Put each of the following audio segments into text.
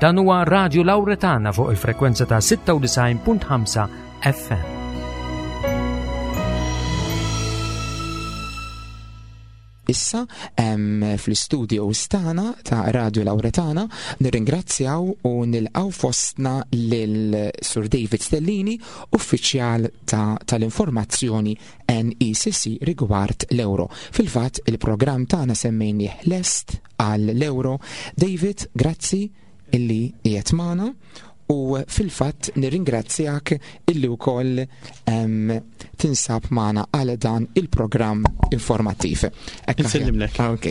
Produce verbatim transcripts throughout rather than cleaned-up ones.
Dan huwa Radio Lauretana fuq il-frekwenza ta' sitta u disgħin punt ħamsa F M. Issa fl-istudio tagħna ta' Radio Lauretana nirringrazzjaw u nilqaw fostna lil Sur David Stellini, uffiċjal tal-informazzjoni N E C C rigward l-euro. Fil-fatt, il-programm tagħna semmejnieh Lest għall-Euro. David, grazzi illi qiegħed magħna u fil-fatt nirringrazzjak illi wkoll tinsab magħna għal dan il-programm informattiv. Insellimlek. Ok.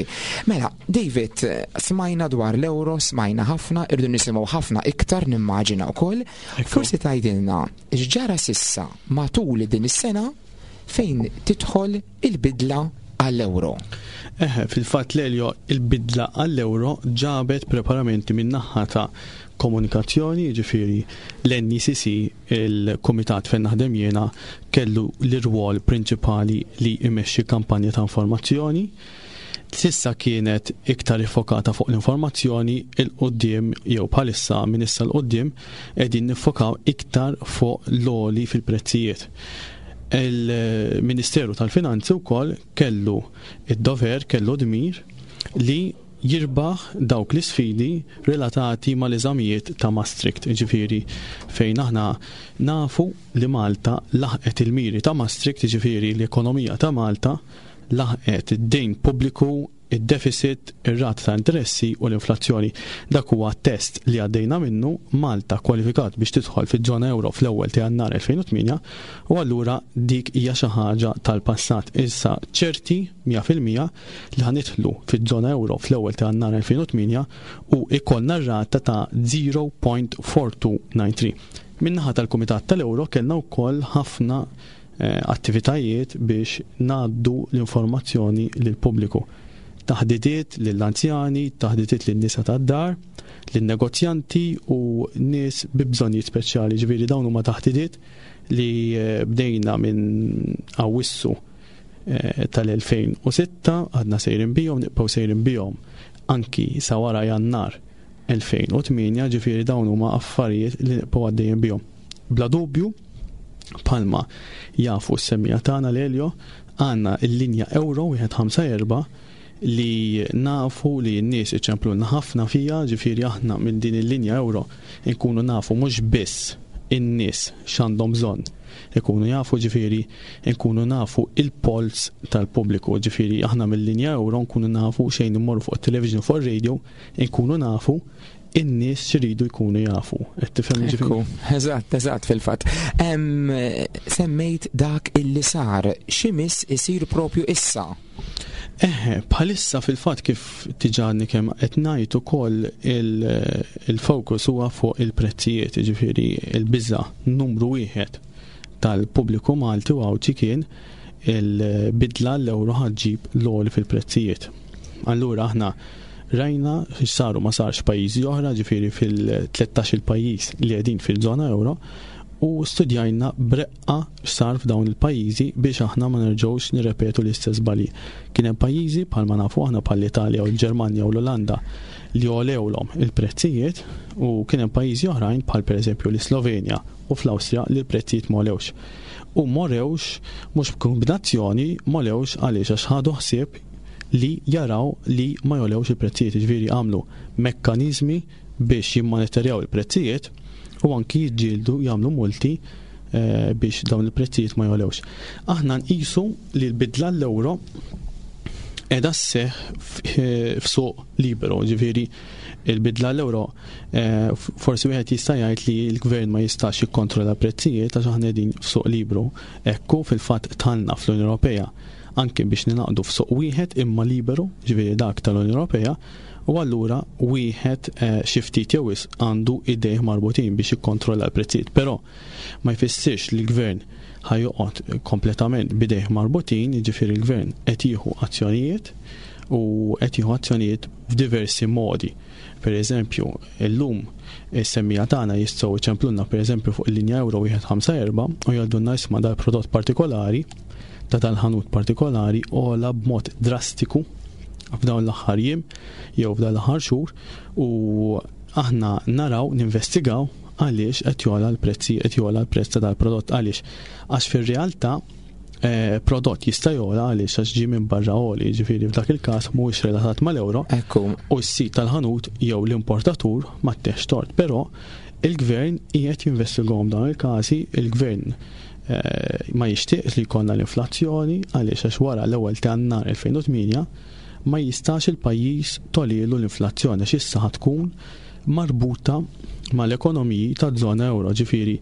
Mela, David, smajna dwar l-euro, smajna ħafna, irdu nisimgħu ħafna iktar, nimmaġina wkoll. Forsi tgħidilna x'ġara s'issa matul din is-sena fejn tidħol il-bidla għall-euro. Eħe, fil-fatt, Lelio, il-bidla għall-euro ġabet preparamenti minn naħa ta' komunikazzjoni, ġifieri l-N E C C, il-komitat fejn naħdem jiena, kellu l-irwol prinċipali li imexxi kampanja ta' informazzjoni. S'issa kienet iktar iffokata fuq l-informazzjoni, 'il quddiem jew bħalissa minn issa 'l quddiem qegħdin niffokaw iktar fuq l-għoli fil-prezzijiet. Il-Ministeru tal-Finanzi wkoll kellu id-dover, kellu dmir li jirbaħ dawk l-isfidi relatati mal-eżamijiet ta' Maastricht, ġifieri fejn aħna nafu li Malta laħqet il-miri ta' Maastricht, ġifieri l-ekonomija ta' Malta laħqet id-dejn pubbliku, id-deficit, ir-rata ta' interessi u l-inflazzjoni. Dak huwa test li għaddejna minnu. Malta kwalifikat biex tidħol fiż-żona euro fl-ewwel ta' Jannar elfejn u tmienja u allura dik hija xi ħaġa tal-passat. Issa ċerti mija fil-mija li ħa nidħlu fiż-żona euro fl-ewwel ta' Jannar elfejn u tmienja u ikollna rata ta' żero punt erba' tnejn tlieta tnejn. Min-naħa tal-Kumitat tal-Euro kellna wkoll ħafna eh, attivitajiet biex ngħaddu l-informazzjoni lill-pubbliku, taħdidiet lill-anzjani, taħdidiet lin-nisa tad-dar, lin-negozjanti u nies bi bżonnijiet speċjali. Ġifieri dawn huma taħdidiet li eh, bdejna minn Awwissu eh, tal-elfejn u sitta, għadna sejrin bihom, nibqgħu sejrin bihom anki sa wara Jannar elfejn u tmienja, ġifieri dawn huma affarijiet li nibqgħu għaddejjin bihom. Bla dubju, bħalma jafu s-semmiegħa tagħna, Lelio, għandna il-linja Euro wieħed ħamsa erba' li nafu li n-nies iċemplulna ħafna fija, ġifieri aħna minn din il-linja euro nkunu nafu mhux biss in-nies x'għandhom bżonn ikunu jafu, ġifieri nkunu nafu il-pols tal-pubbliku, ġifieri aħna mill-linja euro nkunu nafu xejn immorru fuq il-television, fuq il-radio, nkunu nafu in-nies x'iridu jkunu jafu. Qed tifhem, ġifieri? Eżatt, eżatt fil-fatt. Semmejt dak illi sar, x'imiss isir propju issa? Eħe, bħalissa fil-fatt, kif diġà kemm qed ngħid ukoll, il-fokus huwa fuq il-prezzijiet, ġifieri il-biża numru wieħed tal-pubbliku Malti u Għawdxi kien il-bidla l-euro ħa ġġib l-għoli fil-prezzijiet. Allura aħna rajna saru ma sarx pajjiżi oħra, ġifieri fil-tlettax il pajjiż li qegħdin fil-żona euro, u studjajna b'reqqa x'sar f'dawn il-pajjiżi biex aħna ma nerġgħux nirrepetu l-istess żbalji. Kien hemm pajjiżi, bħalma nafu aħna, bħall-Italja u l-Ġermanja u l-Olanda, li għolewlhom il-prezzijiet u kien hemm pajjiżi oħrajn, bħal pereżempju l-Slovenja u fl-Awstrija, li l-prezzijiet m'għolewx. U m'għolewx mhux b'kombinazzjoni, m'għolewx għaliex għax ħadu ħsieb li jaraw li ma jogħlewx il-prezzijiet, ġifieri għamlu mekkaniżmi biex jimmonitorjaw il-prezzijiet u anki jiġġieldu, jagħmlu multi eh, biex dawn il-prezzijiet ma jogħlewx. Aħna nqisu li l-bidla l-euro qiegħda sseħħ f'suq liberu, ġifieri il-bidla l-euro eh, forsi wieħed jista' jgħid li l-gvern ma jistax jikkontrolla prezzijiet għax aħna qegħdin f'suq liberu. Ekku, fil-fatt dħalna fl-Unjoni Ewropea anke biex ningħaqdu f'suq wieħed imma liberu, ġifieri dak tal-Unjoni Ewropea, u allura wieħed eh, xi ftit jew wisq għandu idejh marbutin biex jikkontrolla l-prezzijiet. Però ma jfissirx li l-gvern ħa joqgħod kompletament bidejh marbutin, jiġifieri l-gvern qed jieħu azzjonijiet u qed jieħu azzjonijiet f'diversi modi. Per eżempju, illum is-semmiegħa tagħna jistgħu jċemplulna, per eżempju, fuq il-linja euro wieħed ħamsa erba' u jgħidulna, "Isma', dal-prodott partikolari ta' tal-ħanut partikolari għola b'mod drastiku f'dawn l-aħħar jiem jew f'dawn l-aħħar xhur u Aħna naraw, ninvestigaw għaliex qed jogħla l-prezzi, qed jogħla l-prezz ta' dal-prodott. Għaliex? Għax fir-realtà eh, prodott jista' jogħla għaliex għax ġie minn barra għoli, ġifieri f'dak il-każ mhuwiex relatat mal-euro Ekku, u s-sid tal-ħanut jew l-importatur ma tteħx tort, però il-gvern qiegħed jinvestigahom dawn il-każi, il-gvern eh, ma jixtieqx li jkollna l-inflazzjoni, għaliex għax wara l-ewwel ta' Jannar elfejn u tmienja ma jistax il-pajjiż togħlilu l-inflazzjoni, għax issa ħa tkun marbuta mal-ekonomiji ta' żona euro, ġifieri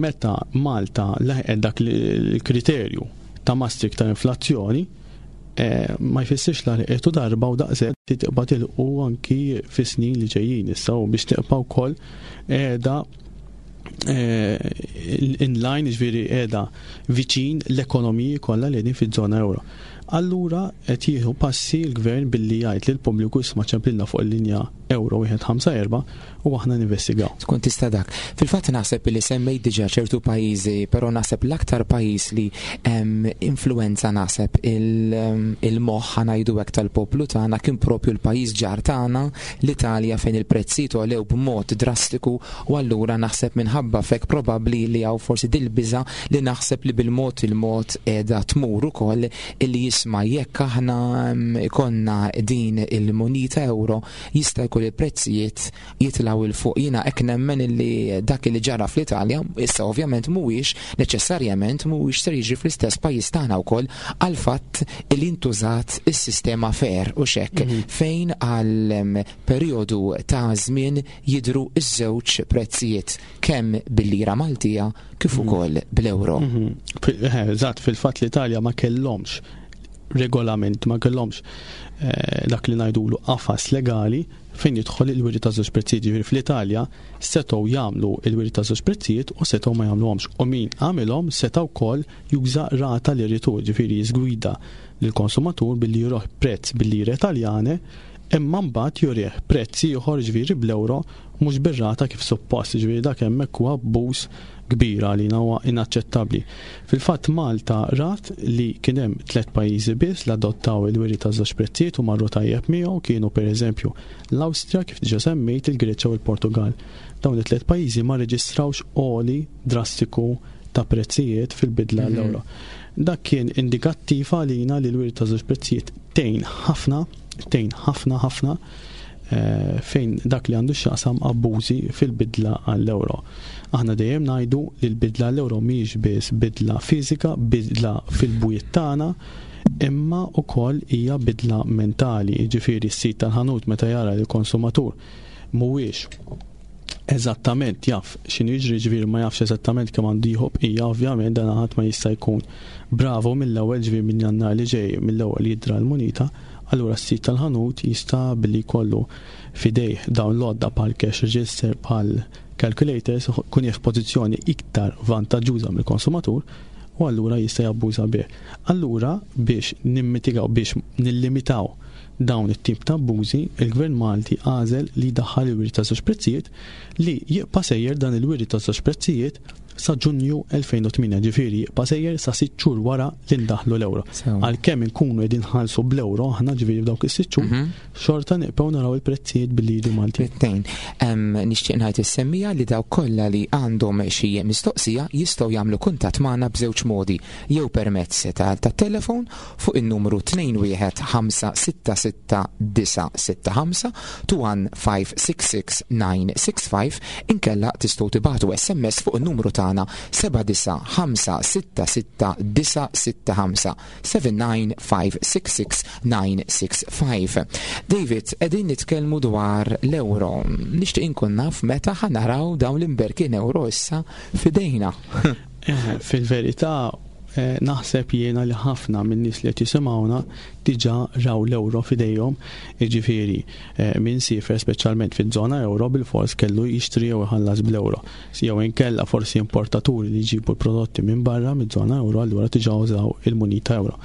meta Malta laħqet dak l-kriterju ta' Maastricht ta' inflazzjoni, eh, ma jfissirx la laħqetu darba u daqshekk, tibqa' tilħqu anki fi snin li ġejjin issa u biex tibqa' wkoll qiegħda eh, in line, ġifieri qiegħda viċin l-ekonomiji kollha li qegħdin fiż-żona euro. Allura qed jieħu passi l-gvern billi jgħid lil pubbliku, isma', ċemplilna fuq il-linja euro wieħed ħamsa erba' u aħna ninvestigaw. Tkun tista' dak. Fil-fatt naħseb li semmejt diġà ċertu pajjiżi, però naħseb l-aktar pajjiż li em, influenza naħseb il- il-moħħ, ħa ngħidu hekk, tal-poplu tagħna kien propju l-pajjiż ġar tagħna, l-Italja, fejn il-prezzijiet għolew b'mod drastiku, u allura naħseb minħabba f'hekk probabbli li hawn forsi dil-biża li naħseb li bil-mod il-mod qiegħda tmur ukoll, illi jisma' jekk aħna em, ikonna din il-munita euro jista' jkun il-prezzijiet jitilgħu 'il fuq. Jiena hekk nemmen illi dak li ġara fl-Italja issa ovvjament mhuwiex neċessarjament mhuwiex ser jiġri fl-istess pajjiż tagħna wkoll, għal fatt li intużat is-sistema fair u xek fejn għal em, perjodu ta' żmien jidru iż-żewġ prezzijiet, kemm bil-lira Maltija kif ukoll bl-euro. Mhm. Fil- eh, Eżatt, fil-fatt l-Italja ma kellhomx regolament, ma kellhomx eh, dak li ngħidulu qafas legali fejn jidħol il-wiri ta' żewġ prezzijiet. Ġifieri fl-Italja setgħu jagħmlu il-wiri ta' żewġ prezzijiet u setgħu ma jagħmluhomx. U min għamilhom setgħu wkoll juża rata li ritu, ġifieri jiżgwida lill-konsumatur billi jurih prezz bil-lire Taljane imma mbagħad jurih prezz ieħor, ġifieri bl-euro, mhux bir-rata kif suppost, ġifieri dak hemmhekk huwa abbuż kbir, għalina huwa inaċċettabbli. Fil-fatt Malta rat li kien hemm tliet pajjiżi biss li adottaw il-wiri ta' żewġ prezzijiet u marru tajjeb miegħu, kienu pereżempju l-Awstrija, kif diġà semmejt, il-Greċja u l-Portugal. Dawn it-tliet pajjiżi ma reġistrawx għoli drastiku ta' prezzijiet fil-bidla Mhm. l-euro. Dak kien indikattiv għalina li l-wiri ta' żewġ prezzijiet tgħin ħafna, tgħin ħafna ħafna eh, fejn dak li għandu x'jaqsam abbużi fil-bidla għall-euro. Aħna dejjem ngħidu li l-bidla għall-euro mhijiex biss bidla fiżika, bidla fil-bwiet tagħna, imma wkoll hija bidla mentali. Jiġifieri s-sid tal-ħanut meta jara li l-konsumatur mhuwiex eżattament jaf x'inhu jiġri, ġifieri ma jafx eżattament kemm għandu jieħu bqija, ovvjament dan ħadd ma jista' jkun bravo mill-ewwel, ġifieri minn Jannar li ġej mill-ewwel jidra l-munita, allura s-sid tal-ħanut jista' billi jkollu f'idejh dawn l-għodda bħal cash register, bħal calculators, kun jaf pożizzjoni iktar vantaġġuża mill-konsumatur u allura jista' jabbuża bih. Allura biex nimmitigaw, biex nillimitaw dawn it-tip ta' abbużi, il-Gvern Malti għażel li daħħal il-wiri ta' żewġ prezzijiet, li jibqa' sejjer dan il-wiri ta' żewġ prezzijiet sa' Ġunju elfejn u tmienja, ġifieri jibqa' sejjer sa' sitt xhur wara li ndaħlu l-euro. Sew. Għalkemm inkunu qegħdin nħallsu bl-euro aħna, ġifieri f'dawk is-sitt xhur, Mhm. xorta nibqgħu naraw il-prezzijiet bil-liri Malti. Tnejn. Em, Nixtieq ngħid is-semmiegħa li dawk kollha li għandhom xi mistoqsija jistgħu jagħmlu kuntatt magħna b'żewġ modi: jew permezz ta' tat-telefon fuq in-numru tnejn wieħed ħamsa sitta sitta disa' sitta ħamsa, two one five six six nine six five, inkella tistgħu tibagħtu S M S fuq in-numru tagħna seba' disa' ħamsa sitta sitta disa' sitta ħamsa, seven nine five six six nine six five. David, qegħdin nitkellmu dwar l-euro. Nixtieq inkun naf meta ħa naraw dawn l-imberkin euro issa f'idejna. Eh, Fil-verità eh, naħseb jiena li ħafna minn nies li qed jisimgħuna diġà raw l-euro f'idejhom, jiġifieri eh, min siefer speċjalment fiż-żona euro bil-fors kellu jixtri jew iħallas bl-euro. Jew inkella forsi importaturi li jġibu l-prodotti minn barra miż-żona euro, allura diġà użaw il-munita euro.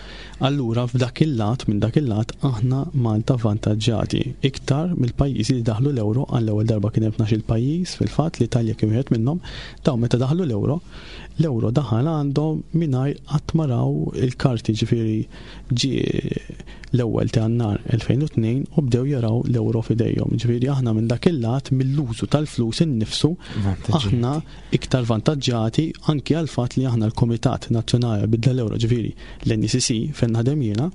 Allura f'dak il-lat, minn dak il-lat, aħna Malta vantaġġati iktar mill-pajjiżi li daħlu l-euro għall-ewwel darba. Kien hemm tnax-il pajjiż fil-fatt, l-Italja kien wieħed minnhom, dawn meta daħlu l-euro, l-euro daħal għandhom mingħajr qatt ma raw il-karti, ġifieri ġie l-ewwel ta' Jannar elfejn u tnejn u bdew jaraw l-euro f'idejhom. Ġifieri aħna minn dak il-lat, mill-użu tal-flus innifsu, aħna iktar vantaġġati, anki għal fatt li aħna l-Komitat Nazzjonali Bidla l-Euro, ġifieri l-N E C C fejn naħdem jiena,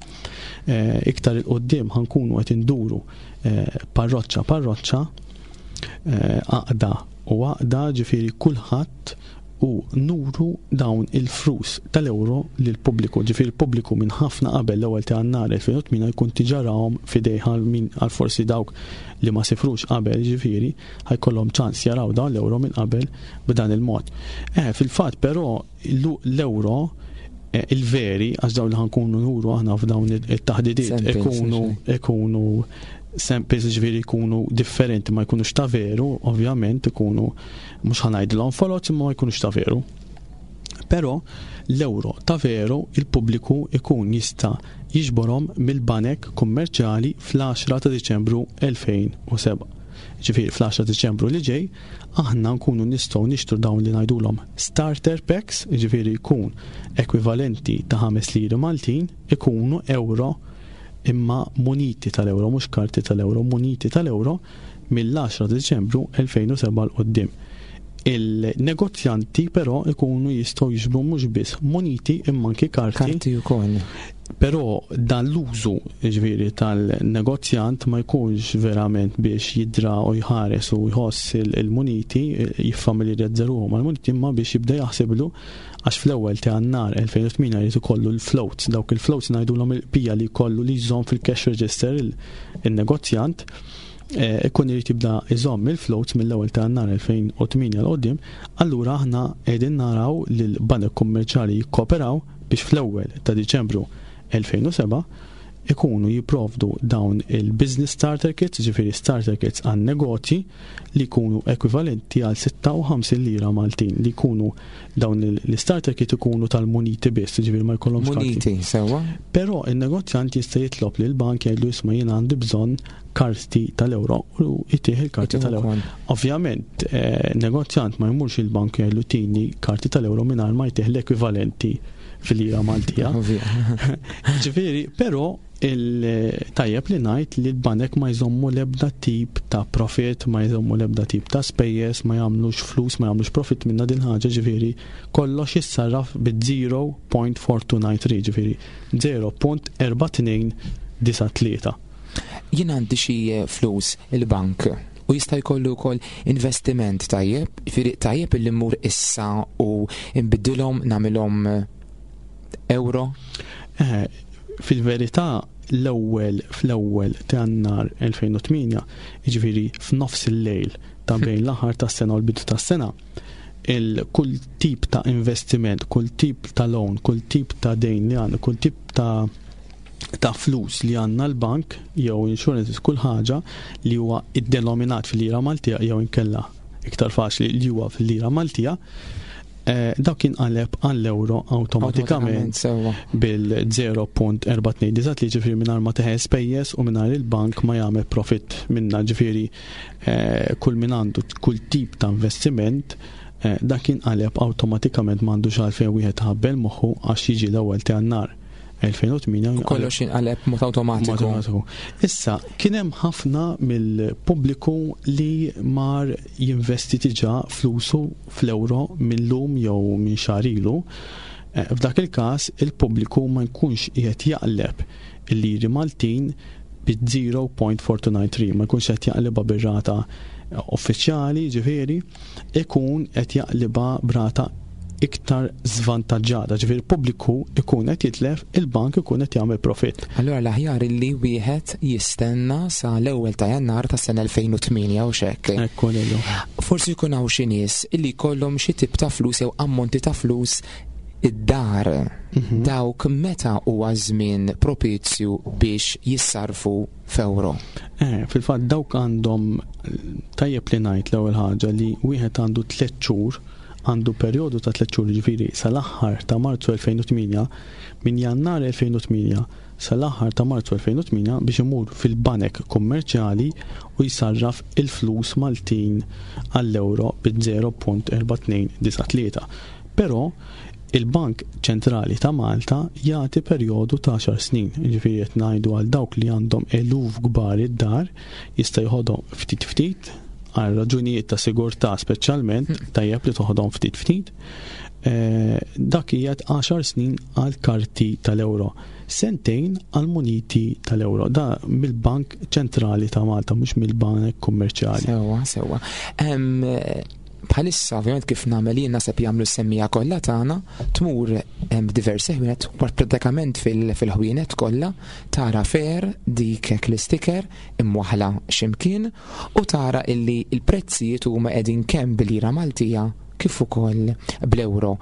eh, iktar 'il quddiem ħa nkunu qed induru eh, parroċċa parroċċa, eh, għaqda u għaqda, ġifieri kulħadd, u nuru dawn il-flus tal-euro lil pubbliku. Ġifieri il-pubbliku minn ħafna qabel l-ewwel ta' Jannar elfejn u tmienja jkun diġà rahom f'idejh, min għal forsi dawk li ma sifrux qabel, ġifieri ħa jkollhom ċans jaraw dawn l-euro minn qabel b'dan il-mod. Eh, fil-fatt però l-euro eh, il-veri, għax dawn li ħa nkunu nuru aħna f'dawn it-taħdidiet ikunu ikunu samples, ġifieri jkunu differenti, ma jkunux ta' veru, ovvjament ikunu, mhux ħa ngħidilhom foloz, imma ma jkunux ta' veru. Però l-euro ta' veru il-pubbliku ikun jista' jiġborhom mill-banek kummerċjali fl-għaxra ta' Diċembru elfejn u sebgħa. Ġifieri fl-għaxra Diċembru li ġej, aħna nkunu nistgħu nixtru dawn li ngħidulhom starter packs, ġifieri jkun ekwivalenti ta' ħames liri Maltin, ikunu euro imma muniti tal-euro, mhux karti tal-euro, muniti tal-euro mill-għaxra Diċembru elfejn u sebgħa 'l quddiem. Il-negozjanti però ikunu jistgħu jiġbru mhux biss muniti imma anki karti. Karti wkoll. Però dan l-użu, ġifieri, tal-negozjant ma jkunx verament biex jidra u jħares u jħoss il-muniti, jiffamiljarizza ruħu mal-muniti, imma biex jibda jaħsiblu, għax fl-ewwel ta' Jannar elfejn u tmienja jrid ikollu l-floats, dawk il-floats ngħidulhom il-pija li jkollu li jżomm fil-cash register il-negozjant, eh, ikun irid jibda iżomm il-floats mill-ewwel ta' Jannar elfejn u tmienja 'l quddiem. Allura aħna qegħdin naraw li l-banek kummerċjali jikkoperaw biex fl-ewwel ta' Diċembru elfejn u sebgħa ikunu jiprovdu dawn il-business starter kits, ġifieri starter kits għan negozji li jkunu ekwivalenti għal sitta u ħamsin lira Maltin, li jkunu dawn l-starter kit ikunu tal-muniti biss, ġifieri ma jkollhomx karti. Muniti, sewwa. Però il-negozjant jista' jitlob lil bank, jgħidlu: "Isma', jiena għandi bżonn karti tal-euro", u jtih il-karti tal-euro. Ovvjament, eh, negozjant ma jmurx il-bank jgħidlu: "Tini karti tal-euro", mingħajr ma jtih l-ekwivalenti fil-lira Maltija. Ġifieri, però il-tajjeb li ngħid li l-banek ma jżommu l-ebda tip ta' profit, ma jżommu l-ebda tip ta' spejjeż, ma jagħmlux flus, ma jagħmlux profit minna din ħaġa, ġifieri kollox jissarraf bi żero punt erba' tnejn disa' tlieta, ġifieri żero punt erba' tnejn disa' tlieta. Jien għandi xi flus il-bank u jista' jkollu wkoll investiment tajjeb, ġifieri tajjeb illi mmur issa u nbiddilhom, nagħmilhom euro? Eh, fil-verità l-ewwel fl-ewwel ta' Jannar elfejn u tmienja, jiġifieri f'nofs il-lejl ta' bejn l-aħħar tas-sena u l-bidu tas-sena, il kull tip ta' investiment, kull tip ta' loan, kull tip ta' dejn li għandna, kull tip ta' ta' flus li għandna l-bank jew insurance, kull ħaġa li huwa iddenominat fil-lira Maltija jew inkella iktar faċli li huwa fil-lira Maltija, eh, dak jinqaleb għall-euro awtomatikament sewwa. bil-żero punt erba' tnejn disa' li, ġifieri mingħajr ma teħel spejjeż u mingħajr il-bank ma jagħmel profit minna, ġifieri eh, kull min għandu kull tip ta' investiment, eh, dak jinqaleb awtomatikament, m'għandux għalfejn wieħed ħabbel moħħu, għax jiġi l-ewwel ta' Jannar elfejn u tmienja U kollox jinqaleb mod awtomatiku. Automatiku. Issa, kien hemm ħafna mill-pubbliku li mar jinvesti diġà flusu fl-euro mill-lum jew minn xahar ilu. Eh, F'dak il-każ il-pubbliku ma jkunx qiegħed jaqleb il-liri Maltin bi żero punt erba' tnejn disa' tlieta, ma jkunx qed jaqlibha bir-rata uffiċjali, ġifieri ikun qed jaqlibha b'rata iktar żvantaġġata, ġifieri il-pubbliku ikun qed jitlef, il-bank ikun qed jagħmel profit. Allura l-aħjar illi wieħed jistenna sa l-ewwel ta' Jannar ta' sena elfejn u tmienja u xekk. Ekku lillu. Forsi jkun hawn xi nies illi jkollhom xi tip ta' flus jew ammonti ta' flus id-dar. Mhm. Dawk meta huwa żmien propizju biex jissarfu f'euro? Eh, fil-fatt dawk għandhom, tajjeb li ngħid l-ewwel ħaġa li wieħed għandu tliet xhur, għandu perjodu ta' tliet xhur, ġifieri sal-aħħar ta' Marzu elfejn u tmienja, minn Jannar elfejn u tmienja sal-aħħar ta' Marzu elfejn u tmienja, biex imur fil-banek kummerċjali u jsarraf il-flus Maltin għall-euro bi żero punt erba' tnejn disa' tlieta. Però Il-Bank Ċentrali ta' Malta jagħti perjodu ta' għaxar snin, ġifieri qed ngħidu għal dawk li għandhom eluf kbar id-dar jista' jħodhom ftit ftit għal raġunijiet ta' sigurtà speċjalment, tajjeb li toħodhom ftit ftit. Eh, dak qiegħed għaxar snin għal karti tal-euro, sentejn għal muniti tal-euro. Da mill-Bank Ċentrali ta' Malta, mhux mill-Bank Kummerċjali. Sewwa, sewwa. Bħalissa, ovvjament, kif nagħmel jien, naħseb jagħmlu s-semmiegħa kollha tagħna, tmur hemm diversi ħwienet, pratikament fil-ħwienet kollha tara FAIR, dik l-isticker imwaħla x'imkien, u tara illi il-prezzijiet huma qegħdin kemm bil-lira Maltija kif ukoll bl-euro.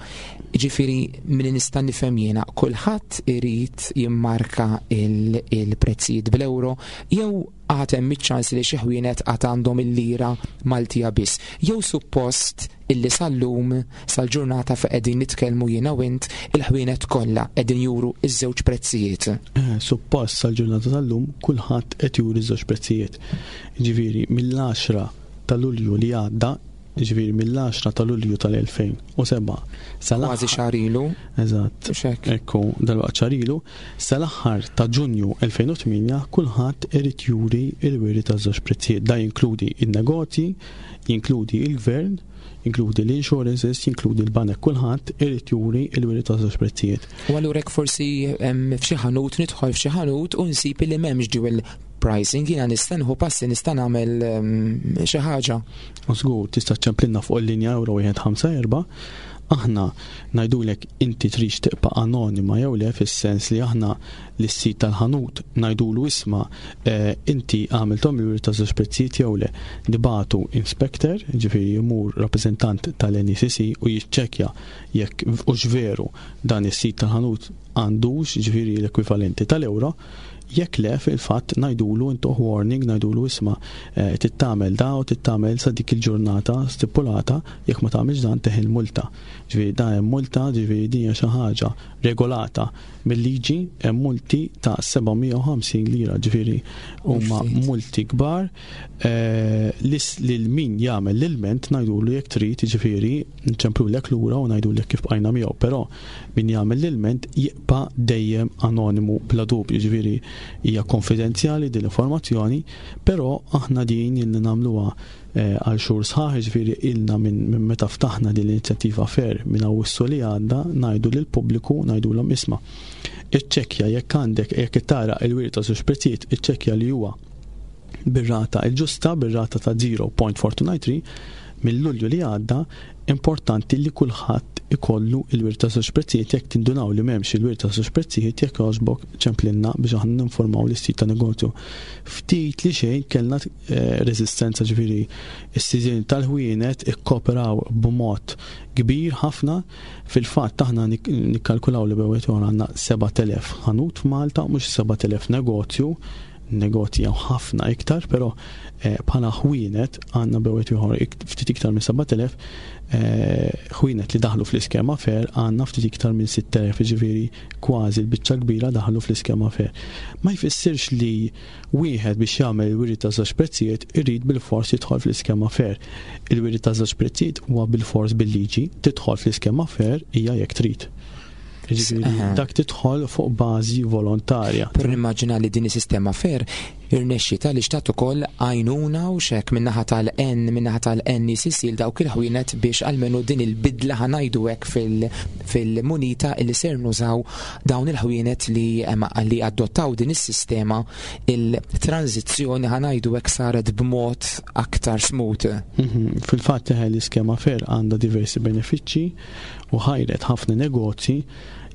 Ġifieri minn nista' nifhem jiena, kulħadd irid jimmarka il-prezzijiet bl-euro jew għad hemm iċ-ċans li xi ħwienet għad għandhom il-lira Maltija biss? Jew suppost illi sal-lum, sal-ġurnata fejn qegħdin nitkellmu jiena u int, il-ħwienet kollha qegħdin juru iż-żewġ prezzijiet? Eh, suppost sal-ġurnata tal-lum kulħadd qed juri ż-żewġ prezzijiet. Ġifieri mill-għaxra ta' Lulju li għadda, ġifieri mill-għaxra ta' Lulju tal-elfejn u sebgħa sal Kważi xahar ilu. Eżatt. Ekku, dal-waqt xahar ilu, sal-aħħar ta' Ġunju elfejn u tmienja kulħadd irid juri il-wiri ta' żewġ prezzijiet. Da jinkludi il-negozji, jinkludi il-gvern, jinkludi l-insurances, jinkludi l-banek, kulħadd irid juri il-wiri ta' żewġ prezzijiet. U allura hekk forsi f'xi ħanut, nidħol f'xi ħanut u nsib li m'hemmx dual pricing, jiena nista' nieħu passi, nista' nagħmel xi ħaġa? U żgur, tista' ċċemplinna fuq il-linja euro wieħed ħamsa erba', aħna ngħidulek inti trix tibqa' anonima jew le, fis-sens li aħna lis-sid tal-ħanut ngħidulu: "Isma', eh, inti għamilthom il ta' żewġ prezzijiet jew le?" Nibagħtu inspector, ġifieri jmur rappreżentant tal-N E C C u jiċċekkja jekk hux veru dan is-sid tal-ħanut għandux ġifieri l-ekwivalenti tal-euro. Jekk le, fil-fatt ngħidulu, intuh warning, ngħidulu: "Isma', eh, trid tagħmel da u trid tagħmel sa dik il-ġurnata stipulata, jekk ma tagħmilx dan teħel multa." Ġifieri da hemm multa, ġifieri din hija xi ħaġa regolata mill-liġi, hemm multi ta' seba' mija u ħamsin lira, ġifieri huma multi kbar. Eh, lil min jagħmel l-ilment ngħidulu jekk trid, ġifieri nċemplulek lura u ngħidulek kif bqajna miegħu, però min jagħmel l-ilment jibqa' dejjem anonimu bla dubju, ġifieri hija konfidenzjali din l-informazzjoni, però aħna din illi nagħmluha eh, għal xhur sħaħ, ġifieri ilna minn meta ftaħna din l-inizjattiva FAIR minn Awwissu li għadda ngħidu lill-pubbliku, ngħidulhom: "Isma', iċċekkja jekk għandek, jekk tara il-wiri ta' żewġ prezzijiet, iċċekkja li huwa bir-rata il-ġusta, bir-rata ta' żero punt erba' tnejn tnejn tlieta." Mill-Lulju li għadda importanti li kulħadd ikollu il-wir ta' żewġ prezzijiet. Jekk tindunaw li m'hemmx il-wir ta' żewġ prezzijiet, jekk jogħġbok ċemplinna biex aħna ninformaw lis-sid ta' negozju. Ftit li xejn kellna eh, reżistenza, ġifieri is-sidien tal-ħwienet ikkooperaw b'mod kbir ħafna. Fil-fatt aħna nikkalkulaw li bejn għandna sebat elef ħanut f'Malta, mhux sebat elef negozju, negozji jew ħafna iktar, però eh, bħala ħwienet għandna bejn ieħor ftit iktar minn sebat elef eh, ħwienet li daħlu fl-iskema FAIR, għandna ftit iktar minn sitt elef, ġifieri kważi l-biċċa kbira daħlu fl-iskema FAIR. Ma jfissirx li wieħed biex jagħmel il-wiri ta' żewġ prezzijiet irid bil-fors jidħol fl-iskema FAIR. Il-wiri ta' żewġ prezzijiet huwa bil-fors bil-liġi, tidħol fl-iskema FAIR hija jekk trid. Ġifieri dak tidħol fuq bażi volontarja. Però nimmaġina li din is-sistema FAIR irnexxita li xtat ukoll għajnuna u xek minnaħa tal-N minnaħa tal-N E C C dawk il-ħwienet biex almenu din il-bidla, ħa ngħidu hekk, fil-munita li ser nużaw dawn il-ħwienet li li adottaw din is-sistema, il-tranzizzjoni, ħa ngħidu hekk, saret b'mod aktar smooth. Mhm. Fil-fatt l-iskema FAIR għandha diversi benefiċċji u ħajret ħafna negozji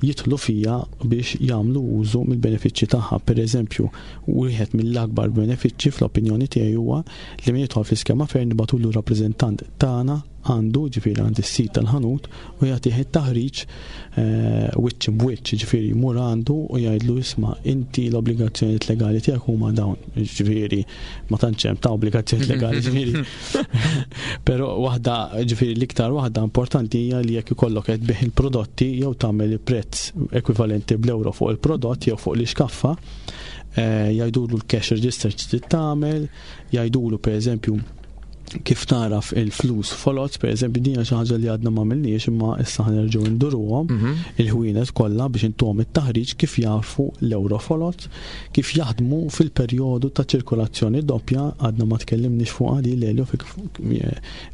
jidħlu fija biex jagħmlu użu mill-benefiċċji tagħha. Per eżempju, wieħed mill-akbar benefiċċji fl-opinjoni tiegħi huwa li min jidħol fl-iskema FAIR nibagħtulu rappreżentant tagħna għandu, ġifieri għand is-sid tal-ħanut, u jagħtih it-taħriġ eh, wiċċ b'wiċċ, ġifieri jmur għandu u jgħidlu: "Isma', inti l-obbligazzjonijiet legali tiegħek huma dawn", ġifieri ma tantx hemm ta' obbligazzjonijiet legali, ġifieri. Però waħda, ġifieri l-iktar waħda importanti hija li jekk ikollok qed tbigħ il-prodotti jew tagħmel il-prezz ekwivalenti bl-euro fuq il-prodott jew fuq l-iskaffa, eh, jgħidulu l-cash register trid tagħmel, jgħidulu pereżempju Kif taraf il-flus folots, per eżempju, din xi ħaġa li għadna ma għamilniex, imma issa ħa nerġgħu nduruhom Mhm. il-ħwienet kollha biex intuhom it-taħriġ kif jafu l-euro folots, kif jaħdmu fil-perjodu ta' ċirkolazzjoni doppja. Għadna ma tkellimniex fuq għadi l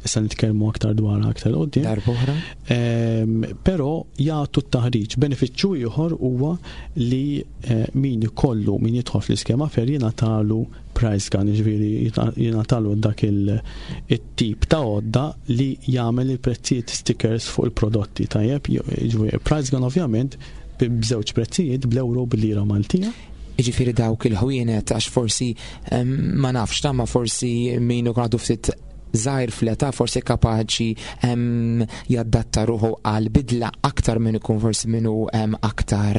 issa nitkellmu aktar dwar aktar quddiem. Darb'oħra. Ehm, Però jagħtu t-taħriġ. Benefiċċju ieħor huwa li eh, min ikollu, min jidħol fl-iskema FAIR, jingħatalu price gun, jiġifieri jingħatalu dak il-tip ta' għodda li jagħmel il-prezzijiet stickers fuq il-prodotti, tajjeb, jiġifieri price gun ovvjament b'żewġ prezzijiet, bl-euro, bil-lira Maltija. Jiġifieri dawk il-ħwienet, għax forsi em, ma nafx ta' ma forsi min ikun għadu ftit żgħir fl-età forsi kapaċi em, jaddatta ruħu għal bidla aktar minn ikun forsi minnu em, aktar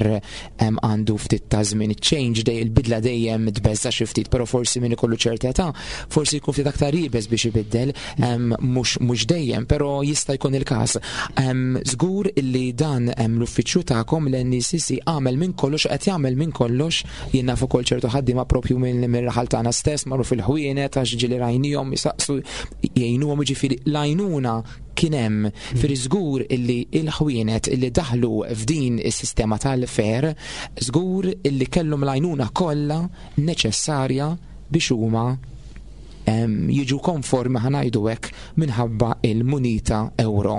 em, għandu ftit ta' żmien. Change dej il-bidla dejjem tbeżza xi ftit, però forsi min ikollu ċerta età forsi jkun ftit aktar iebes biex ibiddel, em, mhux mhux dejjem, però jista' jkun il-każ. Em, Żgur illi dan em, l-uffiċċju tagħkom, l-N E C C, għamel minn kollox, qed jagħmel minn kollox. Jien naf ukoll ċertu ħaddiema propju minn minn raħal tagħna stess marru fil-ħwienet għax ġieli rajnihom jisaqsu jgħinuhom, jiġifieri l-għajnuna kien hemm. Fir żgur illi il-ħwienet illi daħlu f'din is-sistema tal-FAIR żgur illi kellhom l-għajnuna kollha neċessarja biex huma em, jiġu konformi, ħa ngħidu hekk, minħabba il-munita euro.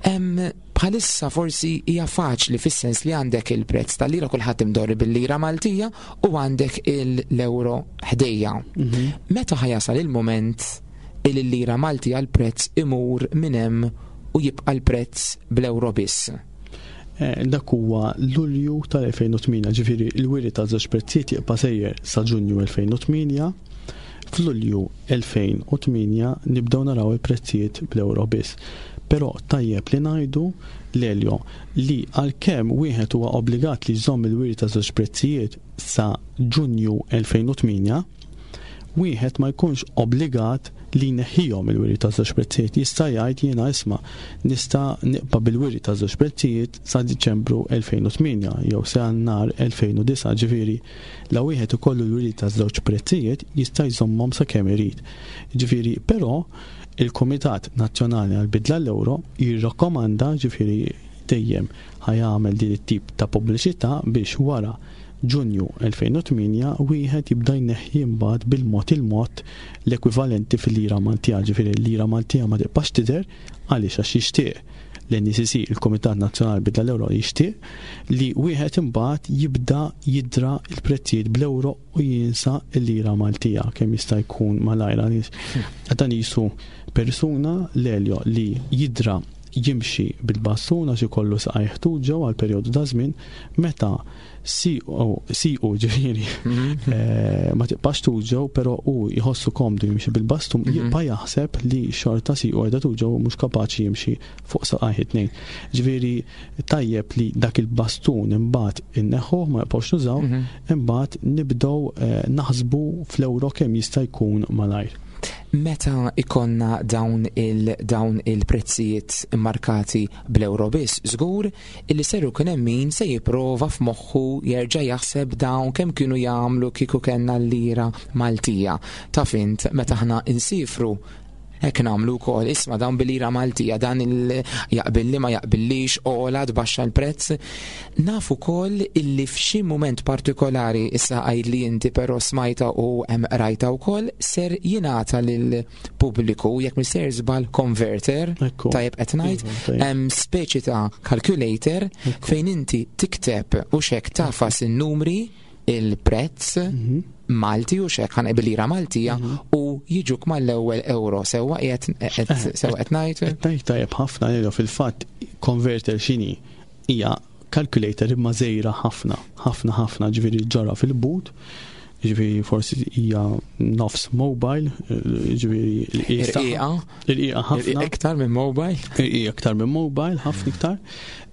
Em, Bħalissa forsi hija faċli fis-sens li għandek il-prezz tal-lira, kulħadd imdorri bil-lira Maltija, u għandek l-euro ħdejja. Meta ħa jasal il-moment il-lira Maltija l-prezz imur minn hemm u jibqa' l-prezz bl-euro biss? Eh, dak huwa Lulju tal-elfejn u tmienja, ġifieri il-wiri ta' żewġ prezzijiet jibqa' sejjer sa Ġunju elfejn u tmienja. F'Lulju elfejn u tmienja nibdew naraw il-prezzijiet bl-euro biss. Però tajjeb li ngħidu, Lelio, li għalkemm wieħed huwa obbligat li jżomm il-wiri ta' żewġ prezzijiet sa Ġunju elfejn u tmienja, wieħed ma jkunx obbligat li jneħħihom il-wiri ta' żewġ prezzijiet. Jista' jgħid, "Jiena isma' nista' nibqa' bil-wiri ta' żewġ prezzijiet sa Diċembru elfejn u tmienja jew sa Jannar elfejn u disgħa" Ġifieri la wieħed ikollu l-wiri ta' żewġ prezzijiet jista' jżommhom sa kemm irid. Ġifieri però il-Kumitat Nazzjonali għal-Bidla l-Euro jirrakkomanda, ġifieri dejjem ħa jagħmel din it-tip ta' pubbliċità, biex wara Ġunju elfejn u tmienja wieħed jibda jneħħi mbagħad bil-mod il-mod l-ekwivalenti fil-lira Maltija, ġifieri l-lira Maltija ma tibqax tidher. Għaliex? Għax jixtieq l-N E C C, il-Kumitat Nazzjonali Bidla l-Euro, jixtieq li wieħed imbagħad jibda jidra il-prezzijiet bl-euro u jinsa l-lira Maltija kemm jista' jkun malajr. Dan jisu persuna, Lelio, li jidra jimxi bil-bastun għax ikollu saqajh tuġgħu għal perjodu ta' żmien, meta siequ ġifieri eh, ma tibqax tuġgħu, però hu jħossu komdu jimxi bil-bastun, Mhm. jibqa' jaħseb li xorta siequ qiegħda tuġgħu, mhux kapaċi jimxi fuq saqajh it-tnejn. Ġifieri tajjeb li dak il-bastun imbagħad inneħħuh, ma jibqgħux nużaw, Mhm. imbagħad nibdew eh, naħsbu fl-euro kemm jista' jkun malajr. Meta ikonna dawn il dawn il-prezzijiet markati bl-euro biss, żgur illi ser ikun hemm min se jipprova f'moħħu jerġa' jaħseb dawn kemm kienu jagħmlu kieku kellna l-lira Maltija. Taf int, meta aħna insifru hekk nagħmlu wkoll, isma' dawn bil-lira Maltija, dan il jaqbilli ma jaqbillix, ola tbaxxa l-prezz. Naf ukoll illi f'xi mument partikolari, issa għid li inti, però smajta u hemm rajta wkoll, ser jingħata lil pubbliku, jekk mister żball, converter, Ekku. tajjeb qed ngħid, Iva, tajjeb. hemm speċi ta' calculator Ekku. fejn inti tikteb u xek tagħfas in-numri, il-prezz Mhm. Malti u xek ħan bil-lira Maltija u jiġuk mal-ewwel euro. Sewwa qiegħed qed- sewwa qed ngħid? Qed ngħid tajjeb ħafna, Lelio. Fil-fatt converter x'inhi? Hija calculator imma żgħira ħafna, ħafna ħafna, ġifieri ġara fil-but, ġifieri forsi hija nofs mobile, ġifieri Irqiqa, irqiqa ħafna. Iktar minn mobile. Hija iktar minn mobile, ħafna iktar,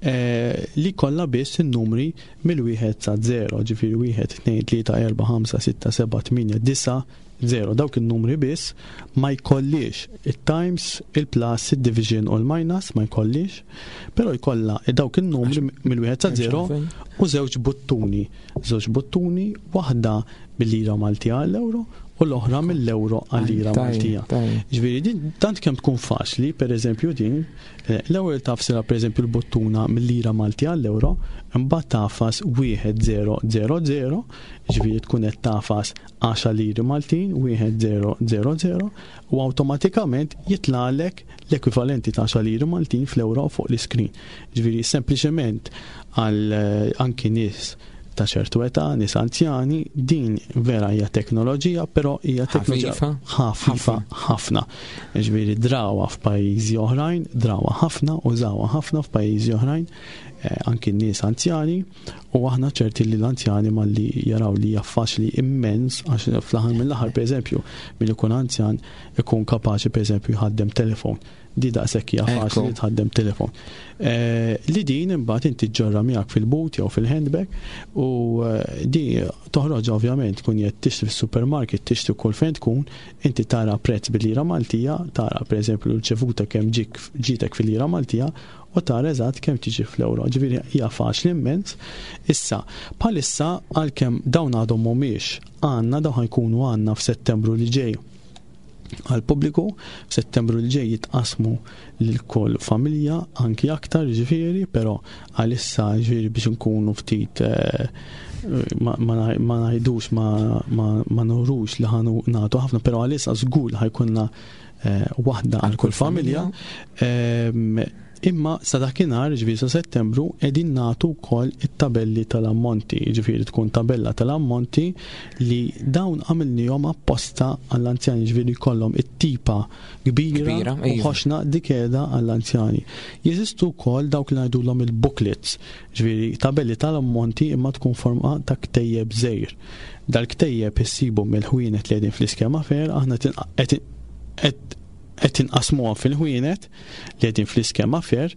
eh, li kollha biss in-numri mill-wieħed sa zero, ġifieri wieħed, tnejn, tlieta, erba', ħamsa, sitta, seba', tmienja, disa', zero. Dawk in-numri biss, ma jkollix il-times, il-plus, il-division u l-minus, ma jkollix, però jkollha dawk in-numri mill-wieħed sa zero u żewġ buttuni. Żewġ buttuni, waħda bil-lira Maltija għall-euro u l-oħra mill-euro għal-lira Maltija. Ġifieri din tant kemm tkun faċli, pereżempju din, eh, l-ewwel tagħfsilha pereżempju l-buttuna mill-lira Maltija għall-euro, imbagħad tagħfas wieħed żero żero żero, ġifieri tkun qed tagħfas għaxar liri Maltin, wieħed żero żero żero, u awtomatikament jitlagħlek l-ekwivalenti ta' għaxar liri Maltin fl-euro fuq l-iskrin. Ġifieri sempliċement għal eh, anki nies ta' ċertu età, nies anzjani, din vera hija teknoloġija, però hija teknoloġija ħafifa ħafna. Ġifieri drawha f'pajjiżi oħrajn, drawha ħafna, użawha ħafna f'pajjiżi oħrajn, eh, anki nies anzjani, u aħna ċerti li l-anzjani malli jaraw li hija faċli immens, għax fl-aħħar mill-aħħar pereżempju, min ikun anzjan ikun kapaċi pereżempju jħaddem telefon. Di daqshekk hija faċli li tħaddem telefon. Eh, li din imbagħad inti ġġorrha miegħek fil-but jew fil-handbag u eh, di toħroġ ovvjament tkun qed tixtri fis-supermarket, tixtri kull fejn tkun, inti tara prezz bil-lira Maltija, tara pereżempju l-ċevuta kemm ġik ġitek fil-lira Maltija u tara eżatt kemm tiġi fl-euro. Ġifieri hija faċli immens. Issa, bħalissa għalkemm dawn għadhom mhumiex għandna, dawn ħa jkunu għandna f'Settembru li ġej għal pubbliku, f'Settembru li ġej jitqasmu lil kull familja, anki aktar ġifieri, però għalissa ġifieri biex nkunu ftit eh, ma, ma, ma ngħidux ma, ma, ma nurux li ħa nagħtu ħafna, però għalissa żgur ħa jkollna eh, waħda għal kull familja. Ehm, imma sa dakinhar, ġifieri sa Settembru, qegħdin nagħtu wkoll it-tabelli tal-ammonti, ġifieri tkun tabella tal-ammonti li dawn għamilnihom apposta għall-anzjani, ġifieri jkollhom it-tipa kbira, Kbira, u iva. ħoxna dik qiegħda għall-anzjani. Jeżistu wkoll dawk li ngħidulhom il-booklets, ġifieri tabelli tal-ammonti imma tkun forma ta' ktejjeb żgħir. Dal-ktejjeb issibu mill-ħwienet li qegħdin fl-iskema fair, aħna qed qed inqasmuhom fil-ħwienet li qegħdin fl-iskema fair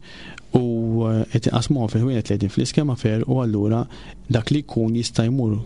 u eh, qed inqasmuhom fil-ħwienet li qegħdin fl-iskema fair u allura dak li jkun jista' jmur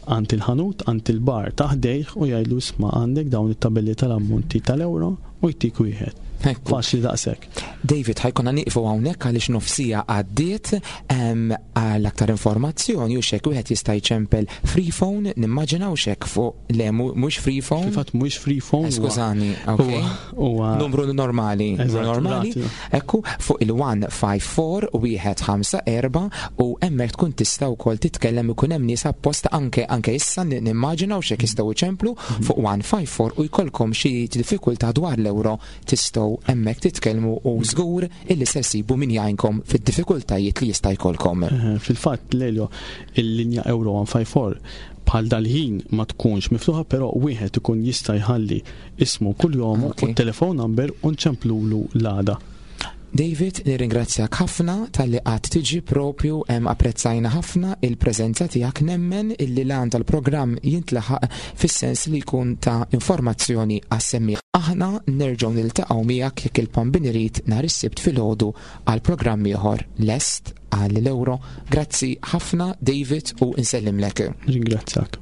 għand il-ħanut, għand il-bar ta' ħdejh u jgħidlu isma' għandek dawn it-tabelli tal-ammonti tal-euro u jtik wieħed. Ekku. Faċli daqshekk. David, ħa jkollna nieqfu hawnhekk għaliex nofs siegħa għaddiet em, għal aktar informazzjoni u xek wieħed jista' jċempel free phone, nimmaġinaw xek fuq le mu- mhux free phone. Fil-fatt mhuwiex free phone. Eh, huwa- Skużani, ok. huwa- Huwa Numru normali, numru Eżatt, normali. rati. Ekku, fuq il-wieħed ħamsa erba' u wieħed ħamsa erba' u hemmhekk tkun tista' wkoll titkellem, ikun hemm nies apposta anke anke issa ni- nimmaġinaw xek jistgħu jċemplu fuq wieħed ħamsa erba' u jkollkom xi diffikultà dwar l-euro, tistgħu hemmhekk titkellmu u żgur illi se ssibu min jgħinkom fid-diffikultajiet li jista' jkollkom. Eh, Fil-fatt, Lelio, il-linja Euro wieħed ħamsa erba' bħal dal-ħin ma tkunx miftuħa, però wieħed ikun jista' jħalli ismu kull jomu Ok. u telefon number u nċemplulu l-għada. David, nirringrazzjak ħafna talli qatt tiġi propju hemm, apprezzajna ħafna il-preżenza tiegħek, nemmen illi l-għan tal-programm jintlaħaq fis-sens li jkun ta' informazzjoni għas-semmiegħ. Aħna nerġgħu niltaqgħu miegħek jekk il-Bambin irid nhar is-Sibt filgħodu għal programm ieħor lest għal l-euro. Grazzi ħafna, David, u nsellimlek. Ringrazzjak.